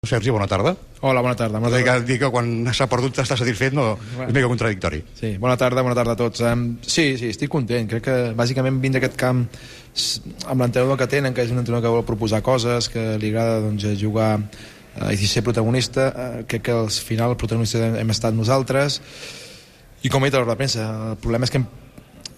Sergi, bona tarda. Hola, bona tarda. Dir que quan s'ha perdut t'estàs satisfet no, és mega contradictori. Sí, bona tarda a tots. Sí, estic content. Crec que bàsicament vindre a aquest camp amb l'entrenador que tenen, que és un entrenador que vol proposar coses, que li agrada jugar i ser protagonista. Crec que al final el protagonista hem estat nosaltres. I com he dit a l'hora de premsa, el problema és que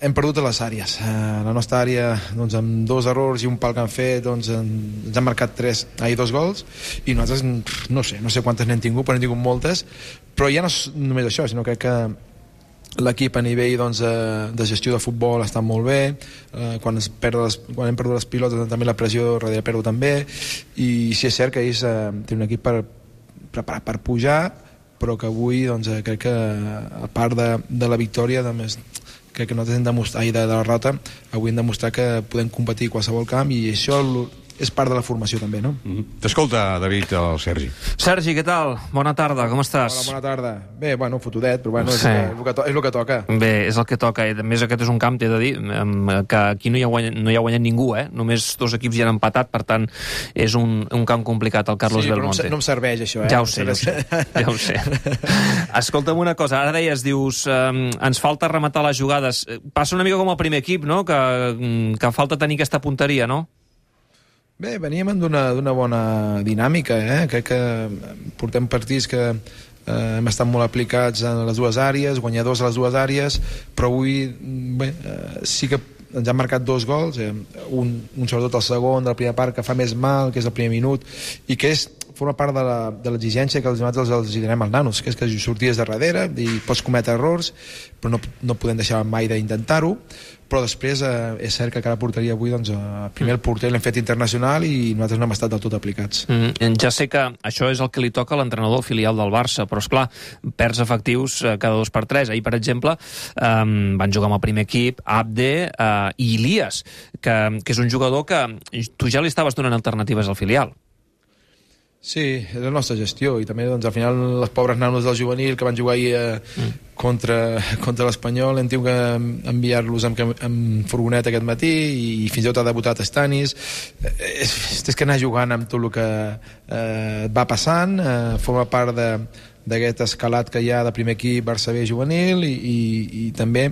hem perdut a les àrees. La nostra àrea, amb 2 errors i un pal que han fet, ens han marcat 2 gols, i nosaltres no sé quantes n'hem tingut, però n'hem tingut moltes. Però ja no és només això, sinó que l'equip a nivell de gestió de futbol està molt bé. Quan hem perdut les pilotes també la pressió darrere perdo també, i sí és cert que ells tenen un equip preparat per pujar, però que avui crec que a part de la victòria crec que nosaltres hem demostrat, de la derrota, avui hem demostrat que podem competir a qualsevol camp, i això és part de la formació també, no? T'escolta, David, el Sergi. Sergi, què tal? Bona tarda, com estàs? Hola, bona tarda. Bé, fotudet, però és el que toca. Bé, és el que toca. A més, aquest és un camp, t'he de dir, que aquí no hi ha guanyat ningú, Només 2 equips ja han empatat, per tant, és un camp complicat, el Carlos Belmonte. Sí, però no em serveix, això, Ja ho sé. Escolta'm una cosa, ara dius, ens falta rematar les jugades. Passa una mica com el primer equip, no?, que falta tenir aquesta punteria, no? Bé, veníem d'una bona dinàmica, Crec que portem partits que hem estat molt aplicats en les 2 àrees, guanyadors a les 2 àrees, però avui sí que ens han marcat 2 gols, un sobretot el segon de la primera part que fa més mal, que és el primer minut, i que forma part de l'exigència que nosaltres els donem als nanos, que és que sorties de darrere i pots cometre errors, però no podem deixar mai d'intentar-ho. Però després és cert que cada porteria avui, primer el porter l'hem fet internacional i nosaltres no hem estat del tot aplicats. Ja sé que això és el que li toca a l'entrenador filial del Barça, però esclar, perds efectius cada 2 per 3. Ahir, per exemple, van jugar amb el primer equip Abde i Ilias, que és un jugador que tu ja li estaves donant alternatives al filial. Sí, és la nostra gestió, i també al final les pobres nanos del juvenil que van jugar ahir contra l'Espanyol hem tingut que enviar-los amb furgoneta aquest matí, i fins i tot ha debutat Stanis. És que anar jugant amb tot el que va passant, forma part d'aquest escalat que hi ha de primer equip Barça B juvenil, i també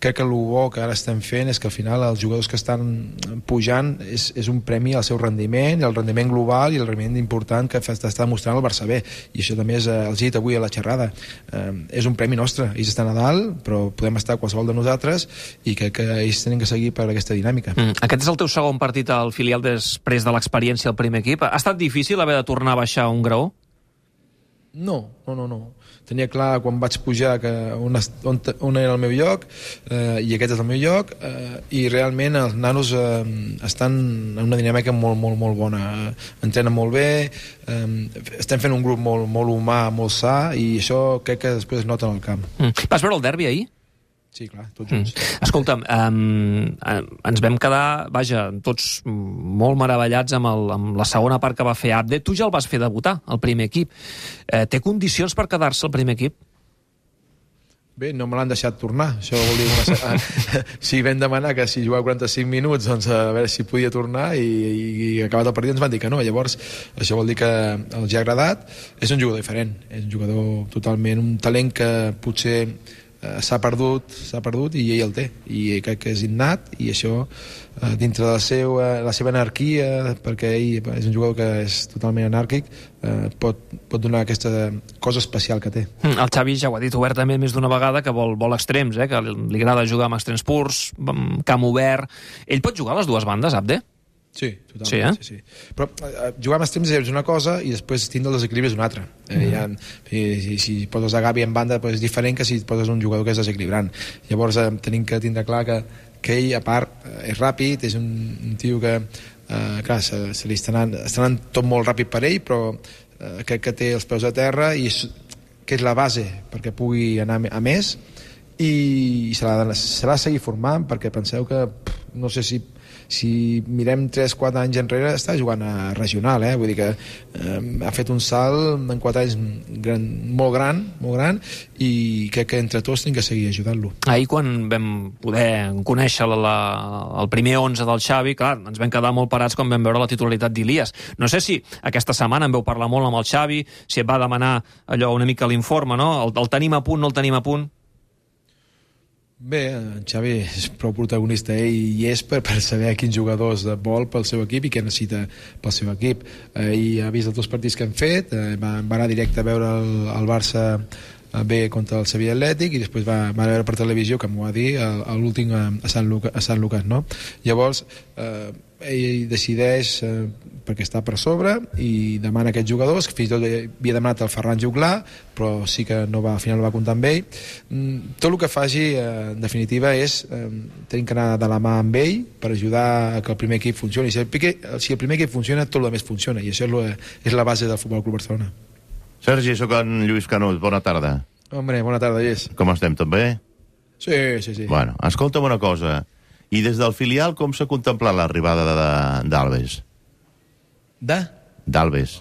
crec que el bo que ara estem fent és que al final els jugadors que estan pujant és un premi al seu rendiment, el rendiment global i el rendiment important que està mostrant el Barça B, i això també els he dit avui a la xerrada, és un premi nostre. Ells estan a dalt, però podem estar qualsevol de nosaltres, i crec que ells tenen que seguir per aquesta dinàmica. Aquest és el teu segon partit al filial després de l'experiència al primer equip. Ha estat difícil haver de tornar a baixar un graó? No. Tenia clar quan vaig pujar on era el meu lloc, i aquest és el meu lloc, i realment els nanos estan en una dinàmica molt, molt, molt bona. Entrenen molt bé, estem fent un grup molt, molt humà, molt sa, i això crec que després es nota en el camp. Vas veure el derbi ahir? Sí, clar, tots junts. Escolta'm, ens vam quedar, tots molt meravellats amb la segona part que va fer Abde. Tu ja el vas fer debutar, el primer equip. Té condicions per quedar-se al primer equip? Bé, no me l'han deixat tornar. Això vol dir si vam demanar que si jugava 45 minuts, a veure si podia tornar, i acabat el partit ens van dir que no. Llavors, això vol dir que els ha agradat. És un jugador diferent, és un jugador totalment, un talent que potser s'ha perdut, i ell el té, i crec que és innat, i això dintre de la seva anarquia, perquè ell és un jugador que és totalment anàrquic, pot donar aquesta cosa especial que té. El Xavi ja ho ha dit obertament més d'una vegada, que vol extrems, que li agrada jugar amb extrems purs, amb camp obert. Ell pot jugar a les 2 bandes, Abde? Sí, totalment. Sí. Però jugar amb extrems és una cosa, i després tindre el desequilibri és una altra. Si poses a Gavi en banda és diferent que si poses un jugador que és desequilibrant. Llavors tenim que tindre clar que ell, a part, és ràpid, és un tio que clar, se li està anant tot molt ràpid per ell, però crec que té els peus a terra, i que és la base perquè pugui anar a més, i se l'ha de seguir formant, perquè penseu que no sé si si mirem 3-4 anys enrere, està jugant a regional, vull dir que ha fet un salt en 4 anys molt gran, i crec que entre tots hem que seguir ajudant-lo. Ahir, quan vam poder conèixer el primer 11 del Xavi, clar, ens vam quedar molt parats quan vam veure la titularitat d'Ilias. No sé si aquesta setmana en veu parlar molt amb el Xavi, si et va demanar allò una mica l'informe, no? El tenim a punt, no el tenim a punt? Bé, en Xavi és prou protagonista, i és per saber quins jugadors vol pel seu equip i què necessita pel seu equip. I ha vist els 2 partits que han fet, va anar directe a veure el Barça bé contra el Sevilla Atlètic, i després va veure per televisió, que m'ho va dir, l'últim a Sant Lucas, no? Llavors, ell decideix, perquè està per sobre, i demana aquests jugadors, que fins i tot havia demanat el Ferran Juglar, però sí que al final no va comptar amb ell. Tot el que faci, en definitiva, és tenir que anar de la mà amb ell per ajudar a que el primer equip funcioni. Si el primer equip funciona, tot el més funciona, i això és la base del Futbol Club Barcelona. Sergi, sóc en Lluís Canut, bona tarda. Hombre, bona tarda, Lluís. Com estem, tot bé? Sí. Bueno, escolta'm una cosa. I des del filial com s'ha contemplat l'arribada d'Alves? D'Alves.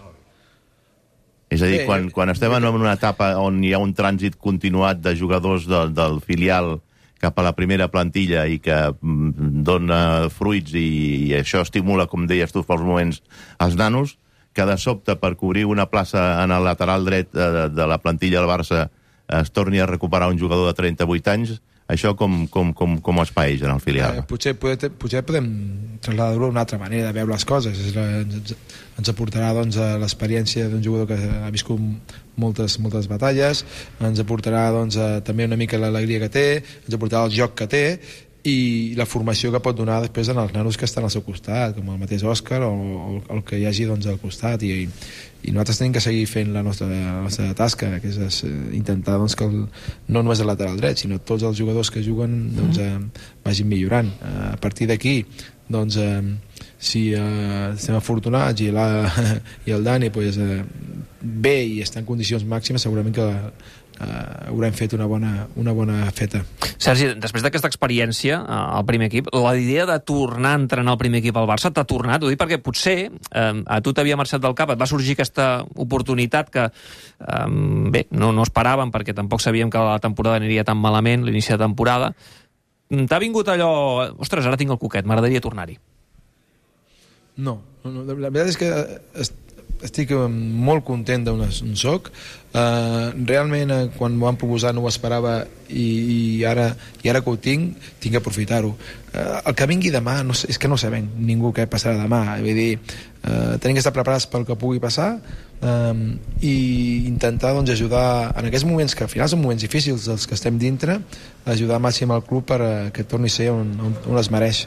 És a dir, quan estem en una etapa on hi ha un trànsit continuat de jugadors del filial cap a la primera plantilla i que dona fruits i això estimula, com deies tu fa uns moments, els nanos, que de sobte per cobrir una plaça en el lateral dret de la plantilla del Barça es torni a recuperar un jugador de 38 anys, això com es paeix en el filial? Potser podem trasladar-ho d'una altra manera de veure les coses. Ens aportarà l'experiència d'un jugador que ha viscut moltes batalles, ens aportarà també una mica l'alegria que té, ens aportarà el joc que té, i la formació que pot donar després als nanos que estan al seu costat, com el mateix Òscar o el que hi hagi al costat, i nosaltres tenim que seguir fent la nostra tasca, que és intentar que no només el lateral dret, sinó tots els jugadors que juguen vagin millorant. A partir d'aquí, si estem afortunats i el Dani bé i està en condicions màximes, segurament que haurem fet una bona feta. Sergi, després d'aquesta experiència al primer equip, la idea de tornar a entrenar al primer equip al Barça t'ha tornat? Ho dic perquè potser a tu t'havia marxat del cap, et va sorgir aquesta oportunitat que bé, no esperàvem, perquè tampoc sabíem que la temporada aniria tan malament, l'inici de temporada. T'ha vingut allò, ostres, ara tinc el cuquet, m'agradaria tornar-hi? No, la veritat és que estic molt content d'on soc. Realment, quan m'ho van proposar no ho esperava, i ara que ho tinc que aprofitar-ho. El que vingui demà és que no sabem ningú què passarà demà. Vull dir, tenim que estar preparats pel que pugui passar, i intentar ajudar en aquests moments, que al final són moments difícils els que estem dintre, ajudar al màxim al club perquè torni a ser on es mereix.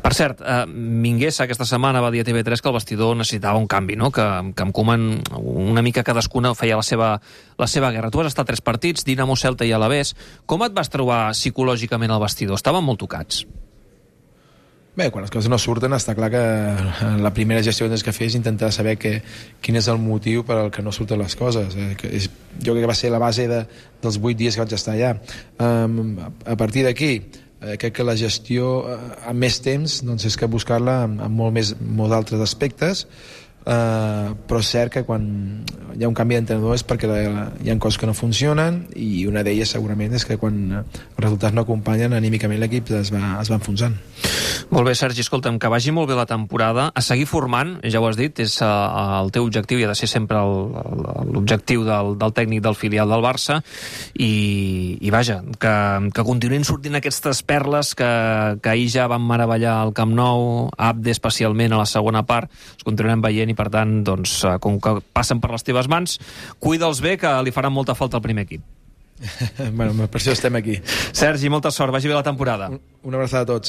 Per cert, Minguesa aquesta setmana va dir a TV3 que el vestidor necessitava un canvi, no? Que en Koeman una mica cadascuna feia la seva guerra. Tu has estat 3 partits, Dinamo, Celta i Alavés. Com et vas trobar psicològicament al vestidor? Estaven molt tocats? Bé, quan les coses no surten, està clar que la primera gestió que fer és intentar saber quin és el motiu per al que no surten les coses. Jo crec que va ser la base dels 8 dies que vaig estar allà. A partir d'aquí, crec que la gestió amb més temps és que buscar-la amb molts altres aspectes, però és cert que quan hi ha un canvi d'entrenador és perquè hi ha coses que no funcionen, i una d'elles segurament és que quan els resultats no acompanyen, anímicament l'equip es va enfonsant. Molt bé, Sergi, escolta'm, que vagi molt bé la temporada, a seguir formant, ja ho has dit, és el teu objectiu i ha de ser sempre l'objectiu del tècnic del filial del Barça, i vaja, que continuïn sortint aquestes perles que ahir ja van meravellar al Camp Nou, Abde especialment a la segona part, els continuarem veient, i per tant, com que passen per les teves mans, cuida'ls bé, que li faran molta falta al primer equip. Bueno, per això estem aquí. Sergi, molta sort, vagi bé la temporada. Una abraçada a tots.